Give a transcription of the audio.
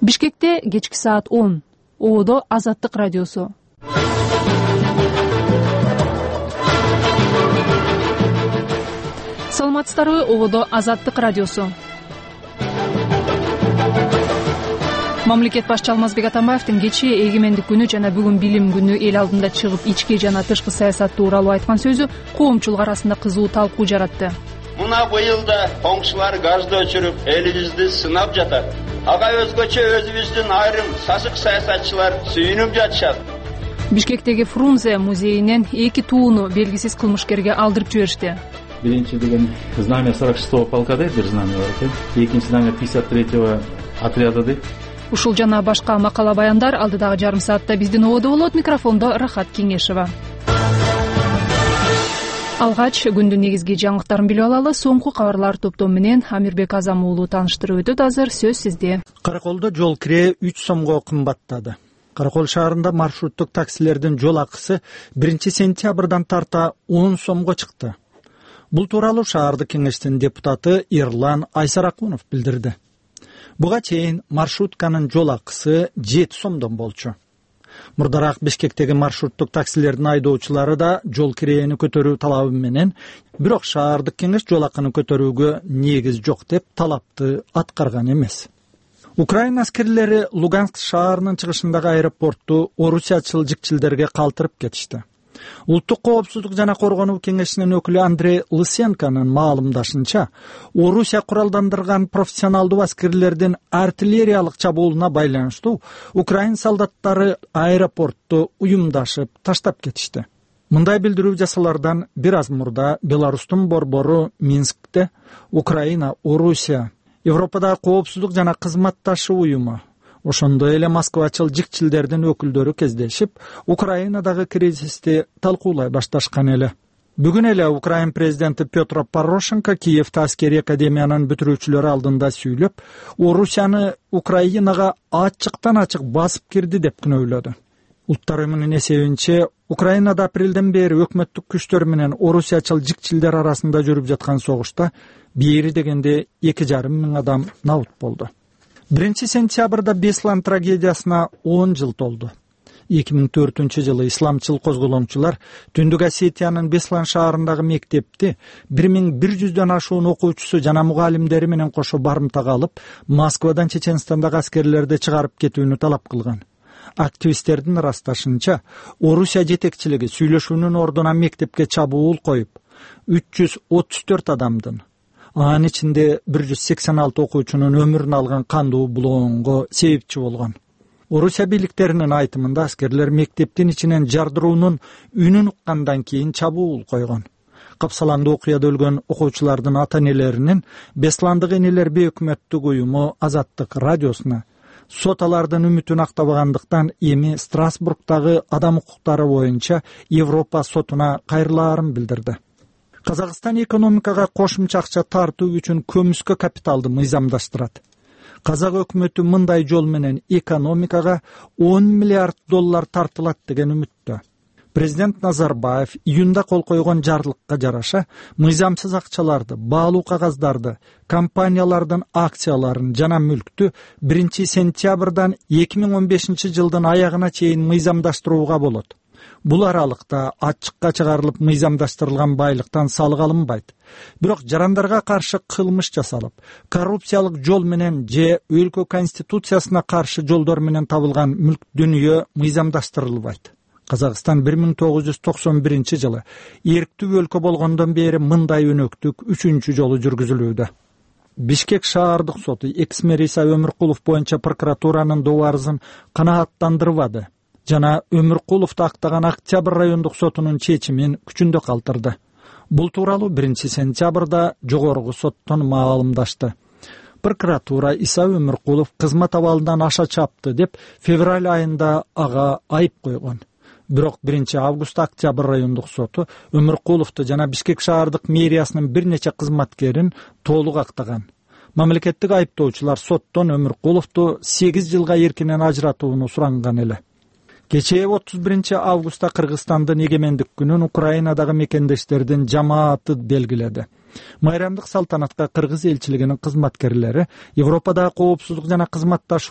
Бишкекте кечки саат 10. Ободо Азаттык радиосу. Саламатсыздарбы? Ободо Азаттык радиосу. Мамлекет башчы Алмазбек Атамбаевдин кечээ эгемендик күнү жана бүгүн билим күнү эл алдында чыгып ички жана тышкы саясат тууралуу айткан сөзү коомчулук арасында кызуу талкуу жаратты. Мына быйыл да коңшулар газды өчүрүп, элибизди сынап жатат. Ага өзгөчө өзүбүздүн айрым сасык саясатчылар сүйүнүп жатышат. Бишкектеги Фрунзе музейинен 2 тууну белгисиз кылмышкерге алдырып жиберишти. Биринчи деген знамя 46-го полка дейт, бир знамя бар экен. Экинчи знамя 53-го отряда дейт. Ушул жана башка макала баяндар алдыдагы жарым саатта биздин ободо болот. Микрофондо Рахат Кеңешева. Алгач күндүн негизги жаңылыктарын билип алалы. Соңку кабарлар топтому менен Амирбек Азам уулу тааныштырып өтөт. Азыр сөз сизде. Караколдо жол кирээ 3 сомго кымбаттады. Каракол шаарында маршруттук таксилердин жол акысы 1-сентябрдан тарта 10 сомго чыкты. Бул тууралуу шаардык кеңештин депутаты Эрлан Айсаракунов билдирди. Буга чейин маршрутканын жол акысы 7 сомдон болчу. Мурдараак Бишкектеги маршруттук таксилердин айдоочулары да жол кирээни көтөрүү талабы менен, бирок шаардык кеңеш жол акыны көтөрүүгө негиз жок деп талапты аткарган эмес. Украина аскерлери Луганск шаарынын чыгышындагы аэропортту орусиячыл жикчилдерге калтырып кетишти. Улуттук коопсуздук жана коргонуу кеңешинин өкүлү Андрей Лысенконун маалымдашынча, Орусия куралдандырган профессионалдуу аскерлердин артиллериялык чабуулуна байланыштуу Украин солдаттары аэропортту уюмдашып таштап кетишти. Мындай билдирүү жасалардан бир аз мурда Беларустун борбору Минскте Украина, Орусия, Европадагы коопсуздук жана кызматташуу уюму, ошондой эле Москвачыл жикчилдердин өкүлдөрү кездешип, Украинадагы кризисти талкуулай башташкан эле. Бүгүн эле Украин президенти Петр Порошенко Киевте аскерий академиянын бүтүрүүчүлөрү алдында сүйлөп, Орусияны Украинага ачыктан ачык басып кирди деп күнөөлөдү. Улуттар уюмунун эсебинче, Украинада апрелден бери өкмөттүк күчтөр менен орусиячыл жикчилдер арасында жүрүп жаткан согушта бери дегенде 2,5 миң адам набут болду. 1-сентябрда Беслан трагедиясына 10 жыл толду. 2004-жылы исламчыл козголомчулар Түндүк Осетиянын Беслан шаарындагы мектепти 1100дөн ашуун окуучусу жана мугалимдери менен кошо барымтага алып, Москвадан Чеченстандагы аскерлерди чыгарып кетүүнү талап кылган. Активисттердин ырасташынча, Орусия жетекчилиги сүйлөшүүнүн ордуна мектепке чабуул коюп, 334 адамдын, анын ичинде 186 окуучунун өмүрүн алган кандуу булоонго себепчи болгон. Орусия бийликтеринин айтымында аскерлер мектептин ичинен жардыруунун үнүн уккандан кийин чабуул койгон. Капсаландуу окуяда өлгөн окуучулардын ата-энелеринин Бесландык энелер бейөкмөттүк уюму Азаттык радиосуна сот алардын үмүтүн актабагандыктан эми Страсбургдагы адам укуктары боюнча Европа сотуна кайрылаарын билдирди. Казакстан экономикага кошумча акча тартуу үчүн көмүскө капиталды мыйзамдаштырат. Казак өкмөтү мындай жол менен экономикага 10 миллиард доллар тартылат деген үмүттө. Президент Назарбаев июнда кол койгон жарлыкка жараша мыйзамсыз акчаларды, баалуу кагаздарды, компаниялардын акцияларын жана мүлктү 1-сентябрдан 2015-жылдын аягына чейин мыйзамдаштырууга болот. Бул аралыкта ачыкка чыгарылып мыйзамдаштырылган байлыктан салык алынбайт. Бирок жарандарга каршы кылмыш жасалып, коррупциялык жол менен же өлкө конституциясына каршы жолдор менен табылган мүлк дүнүйө мыйзамдаштырылбайт. Казакстан 1991-жылы эрктүү өлкө болгондон бери мындай өнөктүк 3-чү жолу жүргүзүлүүдө. Бишкек шаардык соту экс-мэр Иса Өмүркулов боюнча прокуратуранын добарызын канааттандырбады жана Өмүркуловду актаган Октябрь райондук сотунун чечимин күчүндө калтырды. Бул тууралуу 1-сентябрда жогорку соттон маалымдашты. Прокуратура Иса Өмүркулов кызмат абалынан аша чапты деп февраль айында ага айып койгон. Бирок 1-августта Октябрь райондук соту Өмүркуловду жана Бишкек шаардык мэриясынын бир нече кызматкерин толук актаган. Мамлекеттик айыптоочулар соттон Өмүркуловду 8 жылга эркинен ажыратууну суранган эле. Кечээ 31-августта Кыргызстандын эгемендик күнүн Украинадагы мекендештердин жамааты белгиледи. Майрамдык салтанатка кыргыз элчилигинин кызматкерлери Европадагы коопсуздук жана кызматташуу